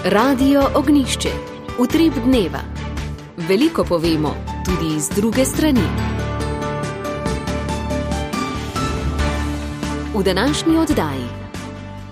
Radio Ognjišče. Utrip dneva. Veliko povemo, tudi iz druge strani. V današnji oddaji.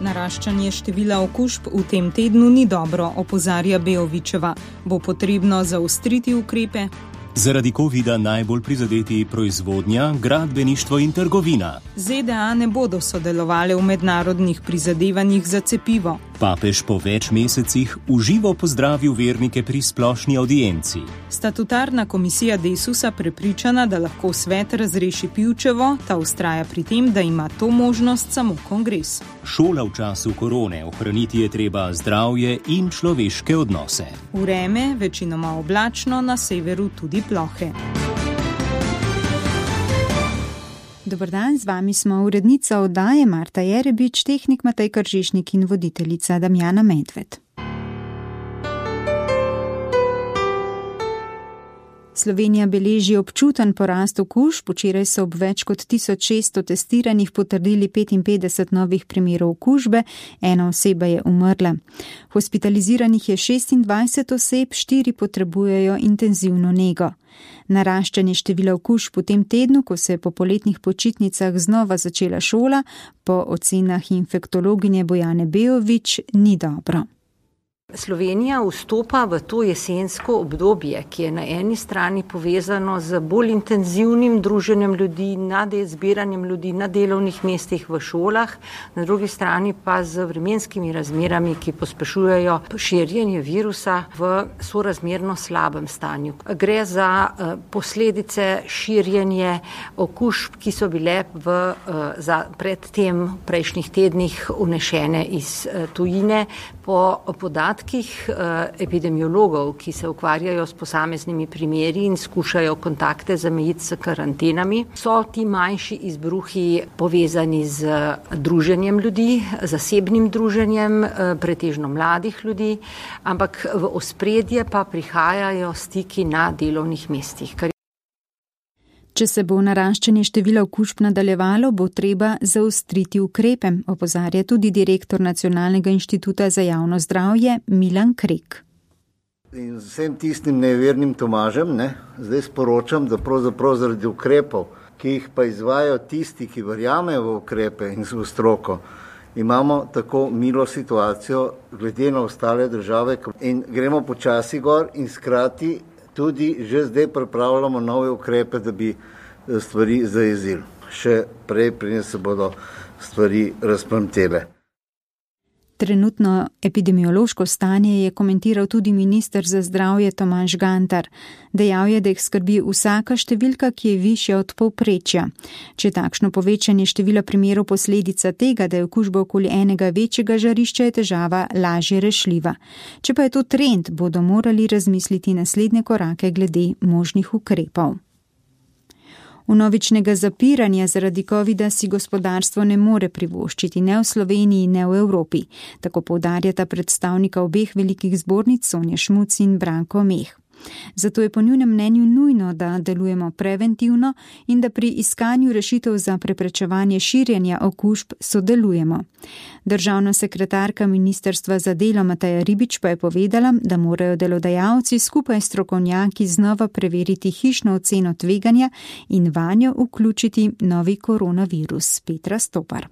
Naraščanje števila okužb v tem tednu ni dobro, opozarja Beovičeva. Bo potrebno zaostriti ukrepe? Zaradi covida najbolj prizadeti proizvodnja, gradbeništvo in trgovina. ZDA ne bodo sodelovali v mednarodnih prizadevanjih za cepivo. Papež po več mesecih v živo pozdravil vernike pri splošni audienci. Statutarna komisija Desusa prepričana, da lahko svet razreši Pivčevo, ta vztraja pri tem, da ima to možnost samo kongres. Šola v času korone, ohraniti je treba zdravje in človeške odnose. Vreme, večinoma oblačno, na severu tudi plohe. Dober dan, z vami smo urednica oddaje Marta Jerebič, tehnik Matej Kržišnik in voditeljica Damjana Medved. Slovenija beleži občuten porast okužb. Včeraj so ob več kot 1600 testiranih potrdili 55 novih primerov okužbe, ena oseba je umrla. Hospitaliziranih je 26 oseb, 4 potrebujejo intenzivno nego. Naraščanje števila okužb v tem tednu, ko se je po poletnih počitnicah znova začela šola, po ocenah infektologinje Bojane Beovič, ni dobro. Slovenija vstopa v to jesensko obdobje, ki je na eni strani povezano z bolj intenzivnim druženjem ljudi, zbiranjem ljudi na delovnih mestih v šolah, na drugi strani pa z vremenskimi razmerami, ki pospešujejo širjenje virusa v sorazmerno slabem stanju. Gre za posledice širjenja okužb, ki so bile predtem v prejšnjih tednih unešene iz tujine. Po podatkih epidemiologov, ki se ukvarjajo s posameznimi primeri in skušajo kontakte zamejiti s karantenami, so ti manjši izbruhi povezani z druženjem ljudi, zasebnim druženjem, pretežno mladih ljudi, ampak v ospredje pa prihajajo stiki na delovnih mestih. Če se bo naraščanje števila okužb nadaljevalo, bo treba zaostriti ukrepe, opozarja tudi direktor Nacionalnega inštituta za javno zdravje Milan Krek. In vsem tistim nevernim Tomažem, zdaj sporočam, da pravzaprav zaradi ukrepov, ki jih pa izvajajo tisti, ki verjamejo v ukrepe in v stroko, imamo tako milo situacijo glede na ostale države in gremo počasi gor in skrati tudi že zdaj pripravljamo nove ukrepe, da bi stvari zajezili. Še prej se bodo stvari razplamtele. Trenutno epidemiološko stanje je komentiral tudi minister za zdravje Tomaž Gantar. Dejal je, da jih skrbi vsaka številka, ki je višja od povprečja. Če takšno povečanje števila primerov posledica tega, da je okužba okoli enega večjega žarišča, je težava lažje rešljiva. Če pa je to trend, bodo morali razmisliti naslednje korake glede možnih ukrepov. Vnovičnega zapiranja zaradi covida si gospodarstvo ne more privoščiti ne v Sloveniji, ne v Evropi. Tako poudarjata predstavnika obeh velikih zbornic Sonja Šmuc in Branko Meh. Zato je po njunem mnenju nujno, da delujemo preventivno in da pri iskanju rešitev za preprečevanje širjenja okužb sodelujemo. Državna sekretarka Ministrstva za delo Mateja Ribič pa je povedala, da morajo delodajalci skupaj s strokovnjaki znova preveriti hišno oceno tveganja in vanjo vključiti novi koronavirus. Petra Stopar.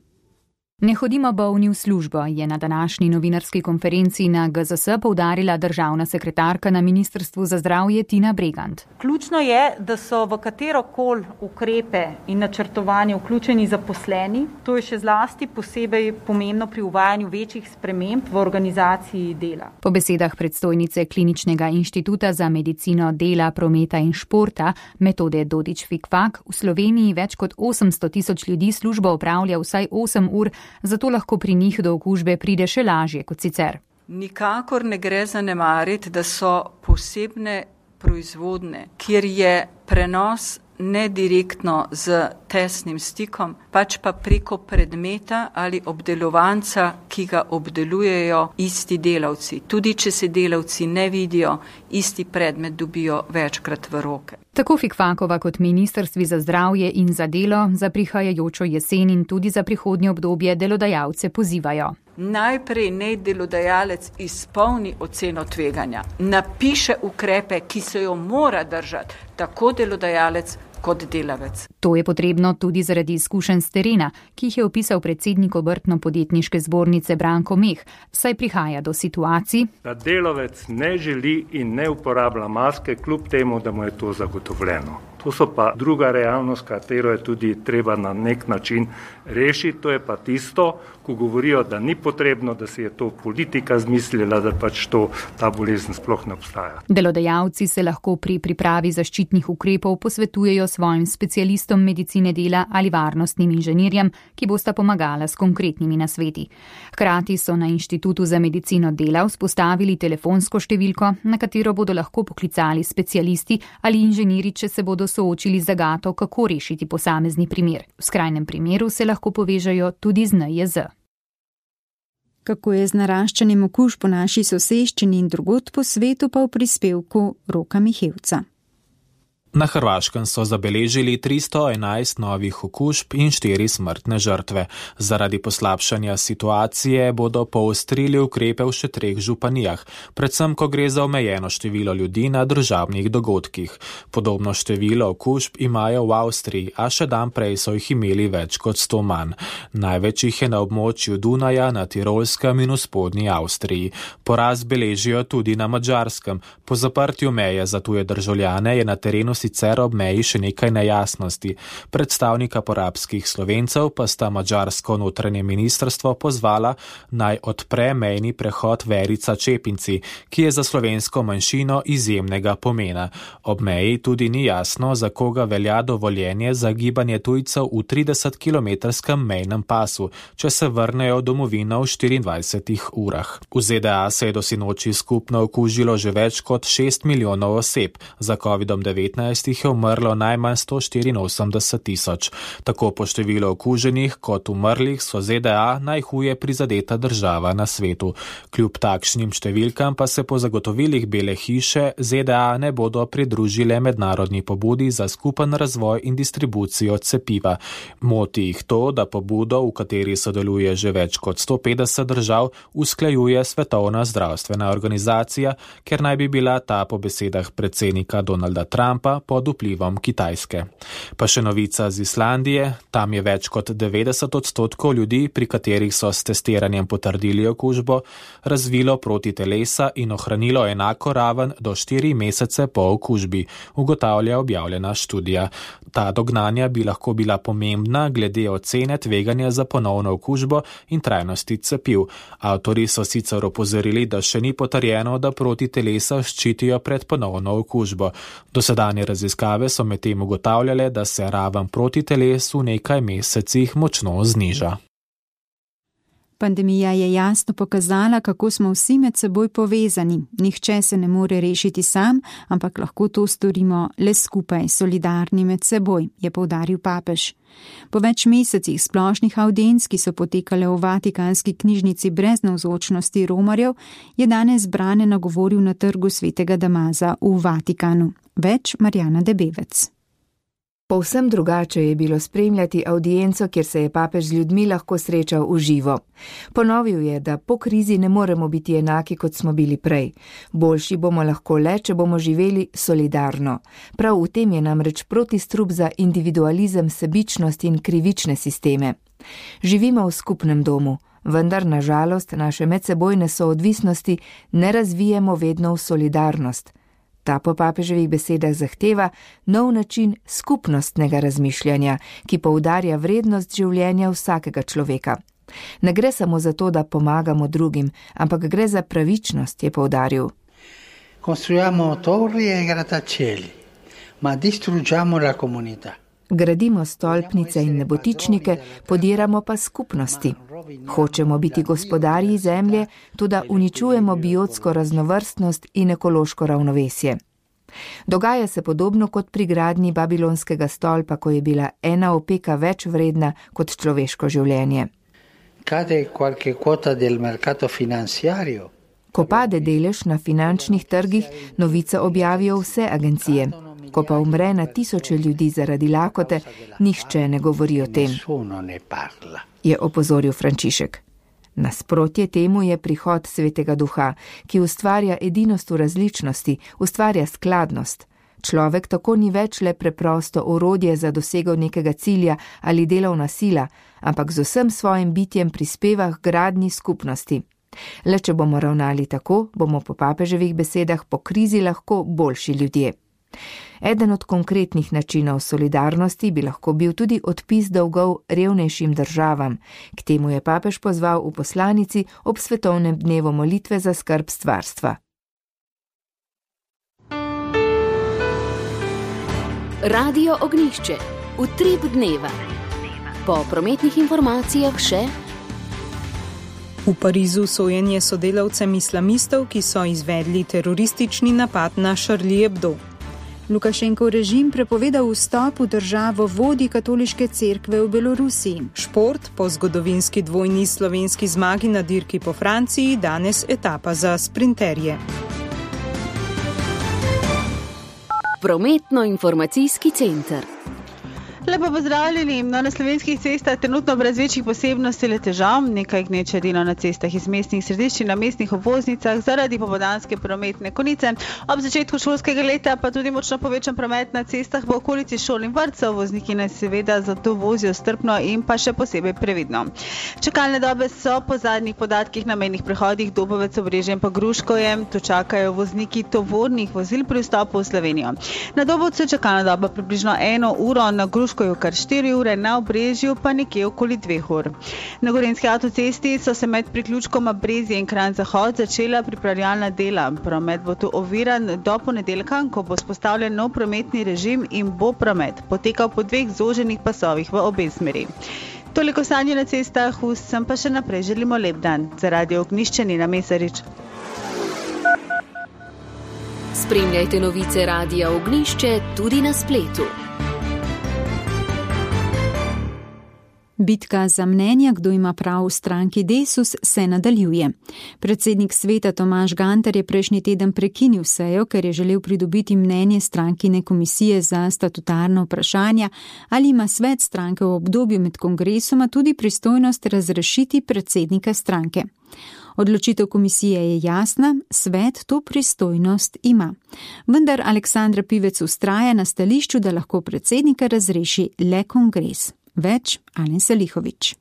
Ne hodimo bolni v službo, je na današnji novinarski konferenci na GZS poudarila državna sekretarka na Ministrstvu za zdravje Tina Bregant. Ključno je, da so v katerokoli ukrepe in načrtovanje vključeni zaposleni. To je še zlasti posebej pomembno pri uvajanju večjih sprememb v organizaciji dela. Po besedah predstojnice Kliničnega inštituta za medicino dela, prometa in športa Metode Dodič-Fikfak v Sloveniji več kot 800 tisoč ljudi službo opravlja vsaj 8 ur, zato lahko pri njih do okužbe pride še lažje kot sicer. Nikakor ne gre zanemariti, da so posebne proizvodne, kjer je prenos ne direktno z tesnim stikom, pač pa preko predmeta ali obdelovanca, ki ga obdelujejo isti delavci. Tudi če se delavci ne vidijo, isti predmet dobijo večkrat v roke. Tako Fikfakova kot Ministrstvi za zdravje in za delo za prihajajočo jesen in tudi za prihodnje obdobje delodajalce pozivajo. najprej naj delodajalec izpolni oceno tveganja, napiše ukrepe, ki se jo mora držati, tako delodajalec kot delavec. To je potrebno tudi zaradi izkušenj s terena, ki jih je opisal predsednik Obrtno-podjetniške zbornice Branko Meh, saj prihaja do situacij, da delavec ne želi in ne uporablja maske, kljub temu, da mu je to zagotovljeno. To so pa druga realnost, katero je tudi treba na nek način rešiti. To je pa tisto, ko govorijo, da ni potrebno, da si je to politika zmislila, da pač ta bolezen sploh ne obstaja. Delodajalci se lahko pri pripravi zaščitnih ukrepov posvetujejo svojim specialistom medicine dela ali varnostnim inženirjem, ki bosta pomagala s konkretnimi nasveti. Hkrati so na Inštitutu za medicino dela vzpostavili telefonsko številko, na katero bodo lahko poklicali specialisti ali inženirji, če se bodo soočili z zagato, kako rešiti posamezni primer. V skrajnem primeru se lahko povežejo tudi z NIJZ. Kako je z naraščanjem okužb po naši soseščini in drugod po svetu, pa v prispevku Roka Mihevca. Na Hrvaškem so zabeležili 311 novih okužb in 4 smrtne žrtve. Zaradi poslabšanja situacije bodo poostrili ukrepe v še 3 županijah, predvsem ko gre za omejeno število ljudi na družabnih dogodkih. Podobno število okužb imajo v Avstriji, a še dan prej so jih imeli več kot 100 manj. Največ jih je na območju Dunaja, na Tirolskem in v spodnji Avstriji. Porast beležijo tudi na Madžarskem. Po zaprtju meje za tuje državljane je na terenu sicer ob meji še nekaj nejasnosti. Predstavnika porabskih Slovencev pa sta madžarsko notranje ministrstvo pozvala, naj odpre mejni prehod Verica Čepinci, ki je za slovensko manjšino izjemnega pomena. Ob meji tudi ni jasno, za koga velja dovoljenje za gibanje tujcev v 30-kilometrskem mejnem pasu, če se vrnejo v domovino v 24 urah. V ZDA se je do sinoči skupno okužilo že več kot 6 milijonov oseb, za COVID-19 jih je umrlo najmanj 184 tisoč. Tako po številu okuženih kot umrlih so ZDA najhuje prizadeta država na svetu. Kljub takšnim številkam pa se po zagotovilih Bele hiše ZDA ne bodo pridružile mednarodni pobudi za skupen razvoj in distribucijo cepiva. Moti jih to, da pobudo, v kateri sodeluje že več kot 150 držav, usklajuje Svetovna zdravstvena organizacija, ker naj bi bila ta po besedah predsednika Donalda Trumpa pod vplivom Kitajske. Pa še novica z Islandije, tam je več kot 90% ljudi, pri katerih so s testiranjem potrdili okužbo, razvilo protitelesa in ohranilo enako raven do 4 mesece po okužbi, ugotavlja objavljena študija. Ta dognanja bi lahko bila pomembna glede ocene tveganja za ponovno okužbo in trajnosti cepiv. Avtori so sicer opozorili, da še ni potrjeno, da protitelesa ščitijo pred ponovno okužbo. Dosedanje raziskave so medtem ugotavljale, da se raven protiteles v nekaj mesecih močno zniža. Pandemija je jasno pokazala, kako smo vsi med seboj povezani. Nihče se ne more rešiti sam, ampak lahko to storimo le skupaj, solidarni med seboj, je poudaril papež. Po več mesecih splošnih avdienc, ki so potekale v Vatikanski knjižnici brez navzočnosti romarjev, je danes brane nagovoril na trgu svetega Damaza v Vatikanu. Več Marjana Debevec. Povsem drugače je bilo spremljati avdienco, kjer se je papež z ljudmi lahko srečal v živo. Ponovil je, da po krizi ne moremo biti enaki, kot smo bili prej. Boljši bomo lahko le, če bomo živeli solidarno. Prav v tem je namreč protistrup za individualizem, sebičnost in krivične sisteme. Živimo v skupnem domu, vendar na žalost naše medsebojne soodvisnosti ne razvijemo vedno v solidarnost. Ta po papeževih besedah zahteva nov način skupnostnega razmišljanja, ki poudarja vrednost življenja vsakega človeka. Ne gre samo za to, da pomagamo drugim, ampak gre za pravičnost, je poudaril. Costruiamo torri e grattacieli, ma distruggiamo la comunità. Gradimo stolpnice in nebotičnike, podiramo pa skupnosti. Hočemo biti gospodarji zemlje, tudi uničujemo biotsko raznovrstnost in ekološko ravnovesje. Dogaja se podobno kot pri gradnji babilonskega stolpa, ko je bila ena opeka več vredna kot človeško življenje. Ko pade delež na finančnih trgih, novice objavijo vse agencije. Ko pa umre na tisoče ljudi zaradi lakote, nihče ne govori o tem, je opozoril Frančišek. Nasprotje temu je prihod Svetega Duha, ki ustvarja edinost v različnosti, ustvarja skladnost. Človek tako ni več le preprosto orodje za dosego nekega cilja ali delovna sila, ampak z vsem svojim bitjem prispeva k gradnji skupnosti. Le če bomo ravnali tako, bomo po papeževih besedah po krizi lahko boljši ljudje. Eden od konkretnih načinov solidarnosti bi lahko bil tudi odpis dolgov revnejšim državam. K temu je papež pozval v poslanici ob svetovnem dnevu molitve za skrb stvarstva. Radio Ognjišče. Utrip dneva. Po prometnih informacijah še. V Parizu sojenje sodelavcem islamistov, ki so izvedli teroristični napad na Charlie Hebdo. Lukašenkov režim prepovedal vstop v državo vodji katoliške cerkve v Belorusiji. Šport po zgodovinski dvojni slovenski zmagi na dirki po Franciji, danes etapa za sprinterje. Prometno-informacijski center. Lepo pozdravljeni. Na slovenskih cestah trenutno brez večjih posebnosti le težav, nekaj gneče dela na cestah iz mestnih središč in na mestnih obvoznicah zaradi popoldanske prometne konice. Ob začetku šolskega leta pa tudi močno povečan promet na cestah v okolici šol in vrtcev. Vozniki naj seveda zato vozijo strpno in pa še posebej previdno. Čakalne dobe so po zadnjih podatkih na mejnih prehodih Dobovec, Obrežje in pa Gruškovje. Tu čakajo vozniki tovornih vozil pri vstopu v Slovenijo. Na Dobovcu je čakalna doba približno 1 uro, na Gruškovju kar 4 ure, na Obrežju pa nekje okoli 2 ur. Na Gorenjski avtocesti so se med priključkoma Brezje in Kranj Zahod začela pripravljalna dela. Promet bo tu oviran do ponedeljka, ko bo vzpostavljen nov prometni režim in bo promet potekal po 2 zoženih pasovih v obe smeri. Toliko stanje na cestah, vsem pa še naprej želimo lep dan. Za Radio Ognjišče Nina Mesarič. Spremljajte novice Radia Ognjišče tudi na spletu. Bitka za mnenja, kdo ima prav v stranki Desus, se nadaljuje. Predsednik sveta Tomaž Gantar je prejšnji teden prekinil sejo, ker je želel pridobiti mnenje strankine komisije za statutarna vprašanja, ali ima svet stranke v obdobju med kongresoma tudi pristojnost razrešiti predsednika stranke. Odločitev komisije je jasna, svet to pristojnost ima. Vendar Aleksandra Pivec vztraja na stališču, da lahko predsednika razreši le kongres. Več Alen Salihovič.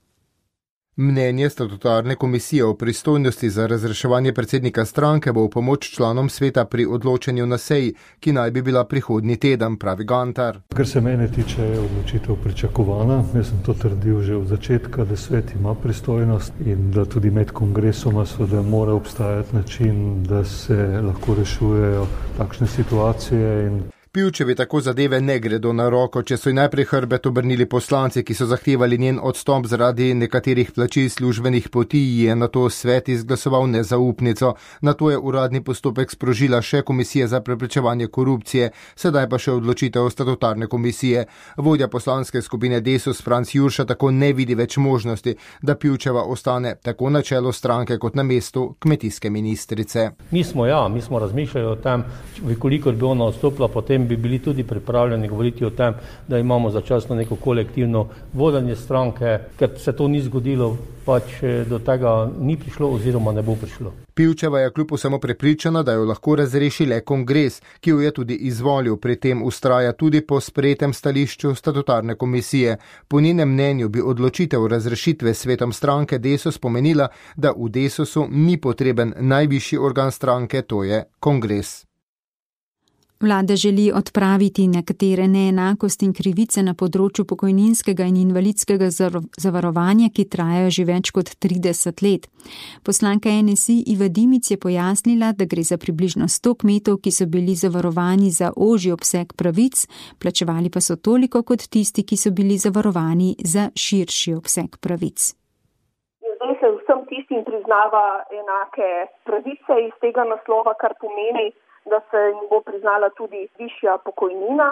Mnenje statutarne komisije o pristojnosti za razreševanje predsednika stranke bo v pomoč članom sveta pri odločanju na seji, ki naj bi bila prihodnji teden, pravi Gantar. Kar se mene tiče, je odločitev pričakovana. Jaz sem to trdil že od začetka, da svet ima pristojnost in da tudi med kongresoma seveda mora obstajati način, da se lahko rešujejo takšne situacije. Pivčevi tako zadeve ne gredo na roko, če so ji najprej hrbet obrnili poslanci, ki so zahtevali njen odstop zaradi nekaterih plačil službenih poti, je nato svet izglasoval nezaupnico. Nato je uradni postopek sprožila še komisija za preprečevanje korupcije, sedaj pa še odločitev statutarne komisije. Vodja poslanske skupine Desus Franc Jurša tako ne vidi več možnosti, da Pivčeva ostane tako na čelu stranke kot na mestu kmetijske ministrice. Mi smo razmišljali o tem, koliko bi ona odstopila, potem bi bili tudi pripravljeni govoriti o tem, da imamo začasno neko kolektivno vodenje stranke, ker se to ni zgodilo, pač do tega ni prišlo oziroma ne bo prišlo. Pivčeva je kljub vsemu prepričana, da jo lahko razreši le kongres, ki jo je tudi izvolil, pri tem vztraja tudi po sprejetem stališču statutarne komisije. Po njenem mnenju bi odločitev razrešitve svetom stranke Desus pomenila, da v Desusu ni potreben najvišji organ stranke, to je kongres. Vlada želi odpraviti nekatere neenakosti in krivice na področju pokojninskega in invalidskega zavarovanja, ki trajajo že več kot 30 let. Poslanka NSI Iva Dimic je pojasnila, da gre za približno 100 kmetov, ki so bili zavarovani za ožji obseg pravic, plačevali pa so toliko kot tisti, ki so bili zavarovani za širši obseg pravic. Zdaj se vsem tistim priznava enake pravice iz tega naslova, kar pomeni, da se jim bo priznala tudi višja pokojnina,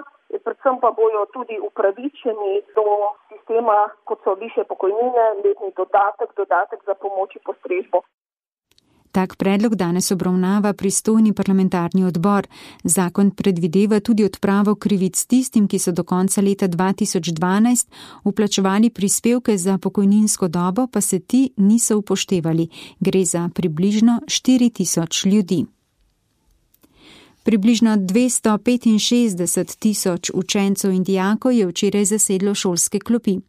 predvsem pa bojo tudi upravičeni do sistema, kot so višje pokojnine, letni dodatek za pomoč in postrežbo. Tak predlog danes obravnava pristojni parlamentarni odbor. Zakon predvideva tudi odpravo krivic tistim, ki so do konca leta 2012 vplačevali prispevke za pokojninsko dobo, pa se ti niso upoštevali. Gre za približno 4.000 ljudi. Približno 265.000 učencev in dijakov je včeraj zasedlo šolske klopi.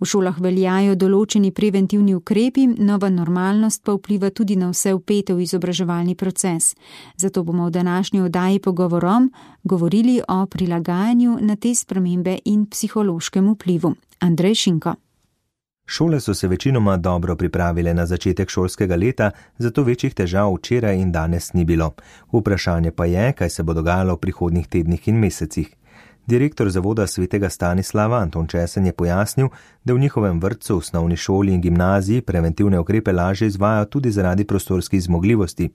V šolah veljajo določeni preventivni ukrepi, nova normalnost pa vpliva tudi na vse vpete v izobraževalni proces. Zato bomo v današnji oddaji Pogovorom govorili o prilagajanju na te spremembe in psihološkem vplivu. Andrej Šinko. Šole so se večinoma dobro pripravile na začetek šolskega leta, zato večjih težav včeraj in danes ni bilo. Vprašanje pa je, kaj se bo dogajalo v prihodnjih tednih in mesecih. Direktor zavoda Svetega Stanislava Anton Česen je pojasnil, da v njihovem vrtcu, osnovni šoli in gimnaziji preventivne ukrepe lažje izvajajo tudi zaradi prostorskih zmogljivosti.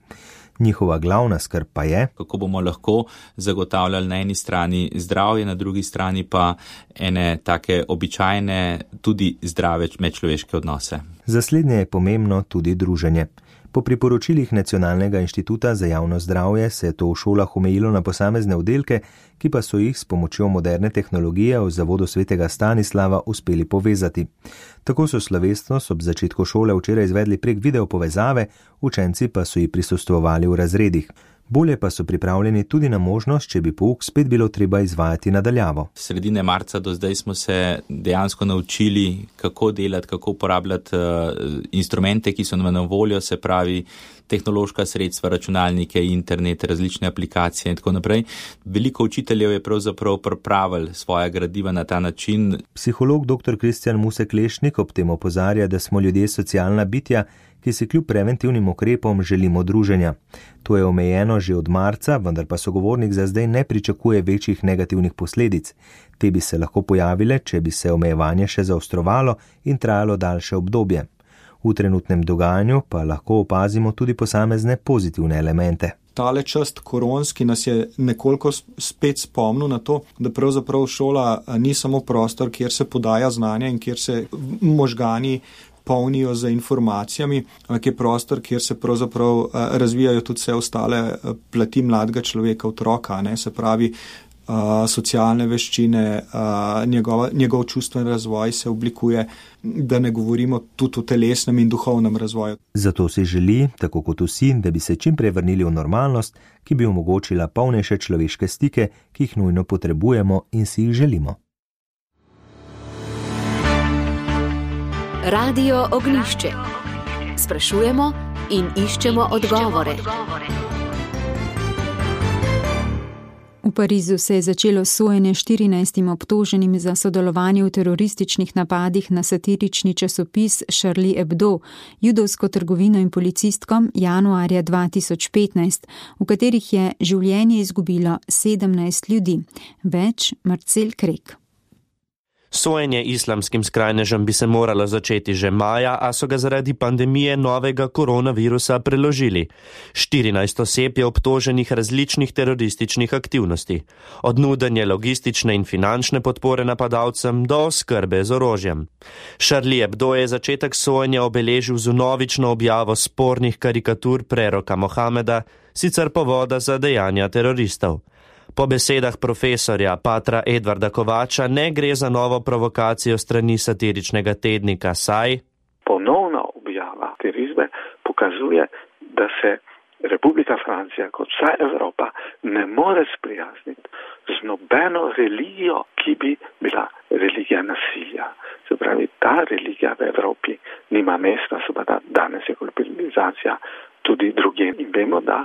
Njihova glavna skrb pa je, kako bomo lahko zagotavljali na eni strani zdravje, na drugi strani pa ene take običajne, tudi zdrave medčloveške odnose. Za slednje je pomembno tudi druženje. Po priporočilih Nacionalnega inštituta za javno zdravje se je to v šolah omejilo na posamezne oddelke, ki pa so jih s pomočjo moderne tehnologije v zavodu Svetega Stanislava uspeli povezati. Tako so slovesnost ob začetku šole včeraj izvedli prek video povezave, učenci pa so ji prisostvovali v razredih. Bolje pa so pripravljeni tudi na možnost, če bi pouk spet bilo treba izvajati nadaljavo. Sredine marca do zdaj smo se dejansko naučili, kako delati, kako uporabljati instrumente, ki so nam na voljo, se pravi tehnološka sredstva, računalnike, internet, različne aplikacije in tako naprej. Veliko učiteljev je pravzaprav pripravili svoja gradiva na ta način. Psiholog dr. Kristjan Musek-Lešnik ob tem opozarja, da smo ljudje socialna bitja, ki si kljub preventivnim ukrepom želimo druženja. To je omejeno že od marca, vendar pa sogovornik za zdaj ne pričakuje večjih negativnih posledic. Te bi se lahko pojavile, če bi se omejevanje še zaostrovalo in trajalo daljše obdobje. V trenutnem dogajanju pa lahko opazimo tudi posamezne pozitivne elemente. Tale čas koronski nas je nekoliko spet spomnil na to, da pravzaprav šola ni samo prostor, kjer se podaja znanje in kjer se možgani polnijo z informacijami, ampak je prostor, kjer se pravzaprav razvijajo tudi vse ostale plati mladega človeka, otroka, ne, se pravi socialne veščine, njegov čustven razvoj se oblikuje, da ne govorimo tudi o telesnem in duhovnem razvoju. Zato si želi, tako kot vsi, da bi se čim prej vrnili v normalnost, ki bi omogočila polnejše človeške stike, ki jih nujno potrebujemo in si jih želimo. Radio Ognjišče. Sprašujemo in iščemo odgovore. V Parizu se je začelo sojenje 14 obtoženim za sodelovanje v terorističnih napadih na satirični časopis Charlie Hebdo, judovsko trgovino in policistkom januarja 2015, v katerih je življenje izgubilo 17 ljudi. Več Marcel Krek. Sojenje islamskim skrajnežem bi se moralo začeti že maja, a so ga zaradi pandemije novega koronavirusa preložili. 14 oseb je obtoženih različnih terorističnih aktivnosti. Od nudenja logistične in finančne podpore napadalcem do oskrbe z orožjem. Charlie Hebdo je začetek sojenja obeležil z vnovično objavo spornih karikatur preroka Mohameda, sicer povoda za dejanja teroristov. Po besedah profesorja patra Edvarda Kovača ne gre za novo provokacijo strani satiričnega tednika Saj. Ponovna objava te risbe pokazuje, da se Republika Francija kot vsa Evropa ne more sprijazniti z nobeno religijo, ki bi bila religija nasilja. Se pravi, ta religija v Evropi nima mesta, seveda danes je globalizacija tudi drugje. In vemo, da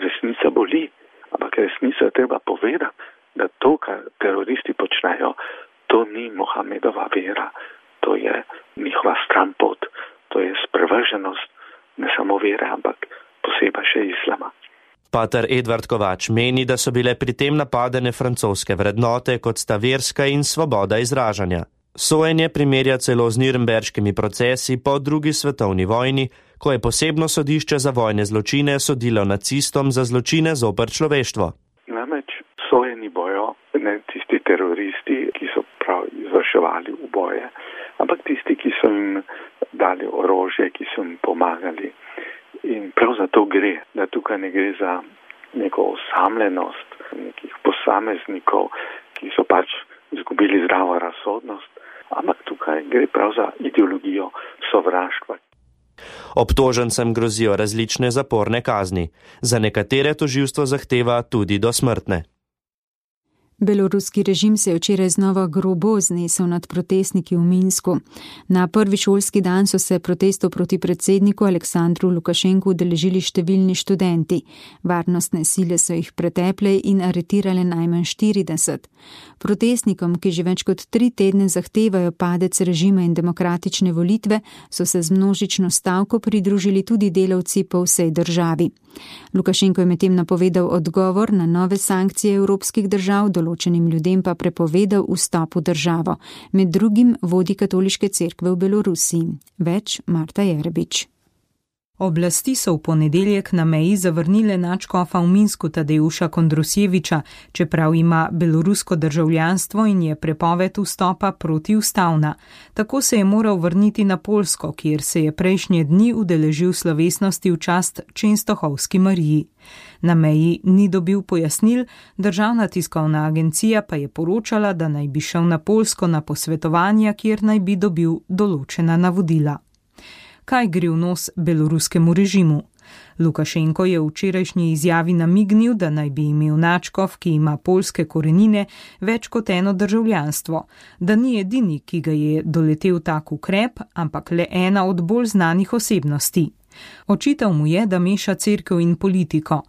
resnica boli. Ampak resnico je treba povedati, da to, kar teroristi počnejo, to ni Mohamedova vera, to je njihova stranpot, to je sprevrženost ne samo vere, ampak posebej še islama. Pater Edvard Kovač meni, da so bile pri tem napadene francoske vrednote, kot sta verska in svoboda izražanja. Sojenje primerja celo z Nürnberškimi procesi po drugi svetovni vojni, ko je posebno sodišče za vojne zločine sodilo nacistom za zločine zoper človeštvo. Namreč sojeni bojo ne tisti teroristi, ki so prav izvrševali uboje, ampak tisti, ki so jim dali orožje, ki so jim pomagali. In prav za to gre, da tukaj ne gre za neko osamljenost nekih posameznikov, ki so pač izgubili zdravo razsodnost, ampak tukaj gre prav za ideologijo sovraštva. Obtožencem grozijo različne zaporne kazni. Za nekatere tožilstvo zahteva tudi dosmrtne. Beloruski režim se je včeraj znova grobo znesel nad protestniki v Minsku. Na prvi šolski dan so se protestov proti predsedniku Aleksandru Lukašenku udeležili številni študenti. Varnostne sile so jih preteple in aretirale najmanj 40. Protestnikom, ki že več kot 3 tedne zahtevajo padec režima in demokratične volitve, so se z množično stavko pridružili tudi delavci po vsej državi. Lukašenko je medtem napovedal odgovor na nove sankcije evropskih držav, določenim ljudem pa prepovedal vstop v državo. Med drugim vodi katoliške cerkve v Belorusiji. Več Marta Jerebič. Oblasti so v ponedeljek na meji zavrnile nadškofa v Minsku Tadeuša Kondrusjeviča, čeprav ima belorusko državljanstvo in je prepoved vstopa protiustavna. Tako se je moral vrniti na Poljsko, kjer se je prejšnje dni udeležil slovesnosti v čast Čenstohovski Mariji. Na meji ni dobil pojasnil, državna tiskovna agencija pa je poročala, da naj bi šel na Poljsko na posvetovanja, kjer naj bi dobil določena navodila. Kaj gre v nos beloruskemu režimu? Lukašenko je v včerajšnji izjavi namignil, da naj bi imel nadškof, ki ima poljske korenine, več kot eno državljanstvo, da ni edini, ki ga je doletel tak ukrep, ampak le ena od bolj znanih osebnosti. Očital mu je, da meša cerkev in politiko.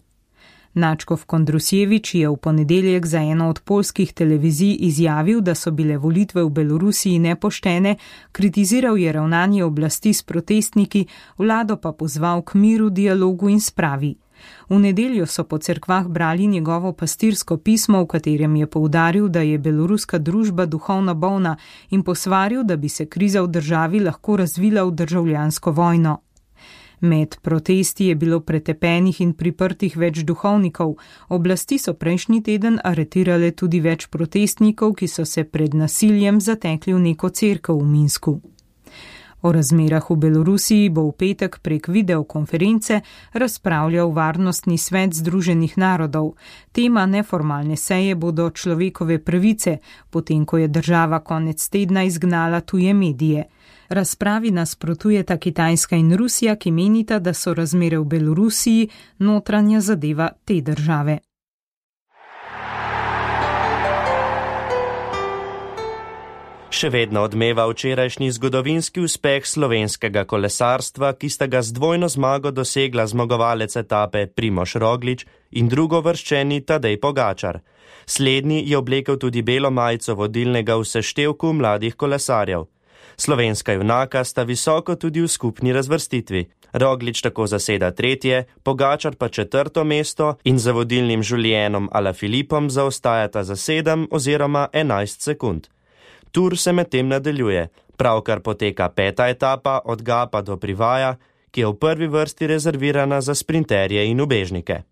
Nadškof Kondrusjevič je v ponedeljek za eno od poljskih televizij izjavil, da so bile volitve v Belorusiji nepoštene, kritiziral je ravnanje oblasti s protestniki, vlado pa pozval k miru, dialogu in spravi. V nedeljo so po cerkvah brali njegovo pastirsko pismo, v katerem je poudaril, da je beloruska družba duhovno bolna in posvaril, da bi se kriza v državi lahko razvila v državljansko vojno. Med protesti je bilo pretepenih in priprtih več duhovnikov. Oblasti so prejšnji teden aretirale tudi več protestnikov, ki so se pred nasiljem zatekli v neko cerkev v Minsku. O razmerah v Belorusiji bo v petek prek videokonference razpravljal Varnostni svet Združenih narodov. Tema neformalne seje bodo človekove pravice, potem ko je država konec tedna izgnala tuje medije. Razpravi nasprotujeta Kitajska in Rusija, ki menita, da so razmere v Belorusiji notranja zadeva te države. Še vedno odmeva včerajšnji zgodovinski uspeh slovenskega kolesarstva, ki sta ga z dvojno zmago dosegla zmagovalec etape Primož Roglič in drugovrščeni Tadej Pogačar. Slednji je oblekel tudi belo majico vodilnega v seštevku mladih kolesarjev. Slovenska junaka sta visoko tudi v skupni razvrstitvi. Roglič tako zaseda 3., Pogačar pa 4. mesto in za vodilnim Julienom Alaphilippom zaostajata za 7 oziroma 11 sekund. Tur se medtem nadaljuje, pravkar poteka 5. etapa od Gapa do Privaja, ki je v prvi vrsti rezervirana za sprinterje in ubežnike.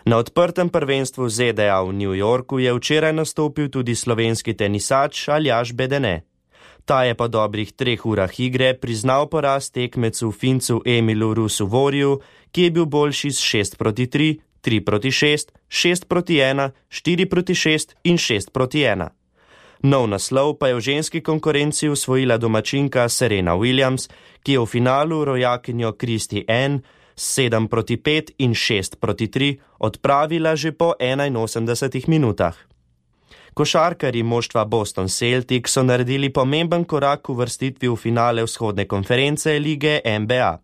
Na odprtem prvenstvu ZDA v New Yorku je včeraj nastopil tudi slovenski tenisač Aljaž Bedene. Ta je po dobrih 3 urah igre priznal poraz tekmecu Fincu Emilu Rusu-Voriju, ki je bil boljši s 6-3, 3-6, 6-1, 4-6 in 6-1. Nov naslov pa je v ženski konkurenci osvojila domačinka Serena Williams, ki je v finalu rojakinjo Kristi N s 7-5 in 6-3 odpravila že po 81 minutah. Košarkarji moštva Boston Celtic so naredili pomemben korak v vrstitvi v finale vzhodne konference lige NBA.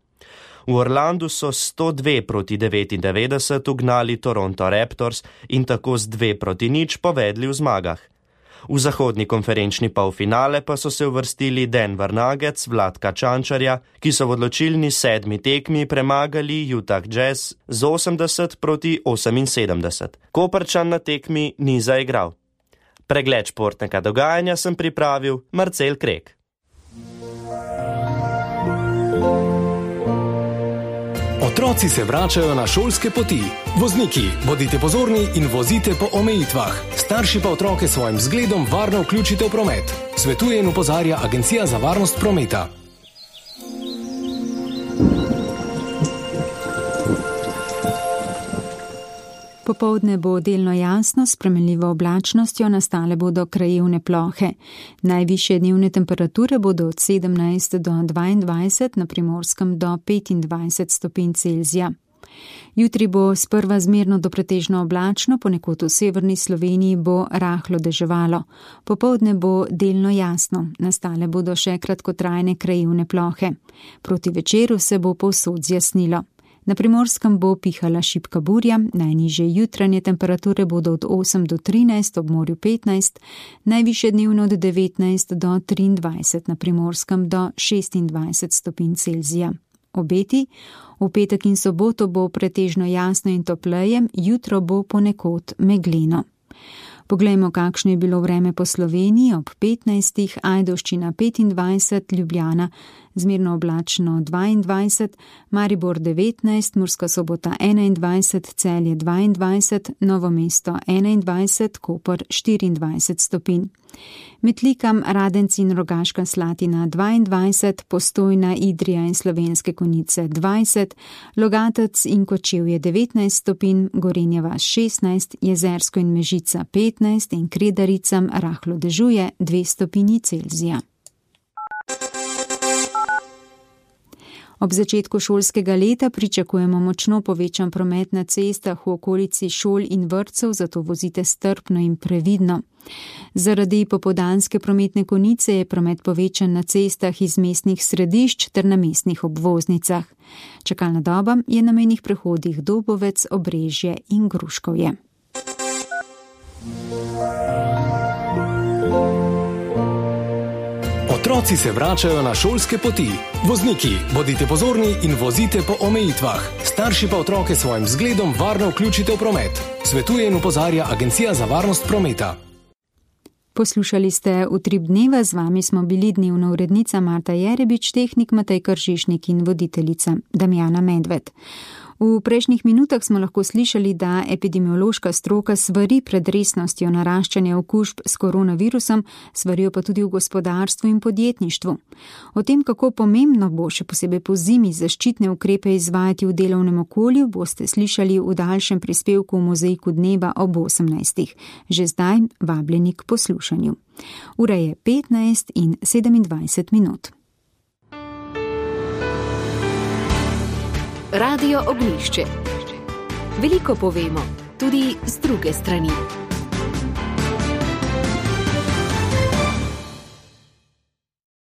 V Orlandu so 102-99 ugnali Toronto Raptors in tako z 2-0 povedli v zmagah. V zahodni konferenčni polfinale pa so se uvrstili Denver Nuggets Vladka Čančarja, ki so v odločilni 7. tekmi premagali Utah Jazz z 80-78. Koprčan na tekmi ni zaigral. Pregled športnega dogajanja sem pripravil Marcel Krek. Otroci se vračajo na šolske poti. Vozniki, bodite pozorni in vozite po omejitvah. Starši pa otroke svojim zgledom varno vključite v promet. Svetuje in opozarja Agencija za varnost prometa. Popoldne bo delno jasno, s spremenljivo oblačnostjo, nastale bodo krajevne plohe. Najvišje dnevne temperature bodo od 17 do 22, na Primorskem do 25 stopinj Celzija. Jutri bo sprva zmerno do pretežno oblačno, ponekod v severni Sloveniji bo rahlo deževalo. Popoldne bo delno jasno, nastale bodo še kratkotrajne krajevne plohe. Proti večeru se bo povsod zjasnilo. Na Primorskem bo pihala šibka burja, najnižje jutranje temperature bodo od 8 do 13, ob morju 15, najvišje dnevno od 19 do 23, na Primorskem do 26 stopinj Celzija. Obeti: v petek in soboto bo pretežno jasno in topleje, jutro bo ponekod megleno. Poglejmo, kakšno je bilo vreme po Sloveniji. Ob 15. Ajdovščina 25, Ljubljana zmerno oblačno 22, Maribor 19, Murska Sobota 21, Celje 22, Novo mesto 21, Koper 24 stopinj. Metlikam, Radenci in Rogaška Slatina 22, Postojna, Idrija in Slovenske Konjice 20, Logatec in Kočevje 19 stopinj, Gorenja vas 16, Jezersko in Mežica 15 in Kredaricam rahlo dežuje 2 stopinji Celzija. Ob začetku šolskega leta pričakujemo močno povečan promet na cestah v okolici šol in vrtcev, zato vozite strpno in previdno. Zaradi popoldanske prometne konice je promet povečan na cestah iz mestnih središč ter na mestnih obvoznicah. Čakalna doba je na mejnih prehodih Dobovec, Obrežje in Gruškovje. Otroci se vračajo na šolske poti. Vozniki, bodite pozorni in vozite po omejitvah. Starši pa otroke svojim zgledom varno vključite v promet. Svetuje in opozarja Agencija za varnost prometa. Poslušali ste Utrip dneva, z vami smo bili dnevna urednica Marta Jerebič, tehnik Matej Kržišnik in voditeljica Damjana Medved. V prejšnjih minutah smo lahko slišali, da epidemiološka stroka svari pred resnostjo naraščanja okužb s koronavirusom, svarijo pa tudi v gospodarstvu in podjetništvu. O tem, kako pomembno bo še posebej po zimi zaščitne ukrepe izvajati v delovnem okolju, boste slišali v daljšem prispevku v Mozaiku dneva ob 18. Že zdaj vabljeni k poslušanju. Ura je 15 in 27 minut. Radio Ognjišče. Veliko povemo, tudi z druge strani.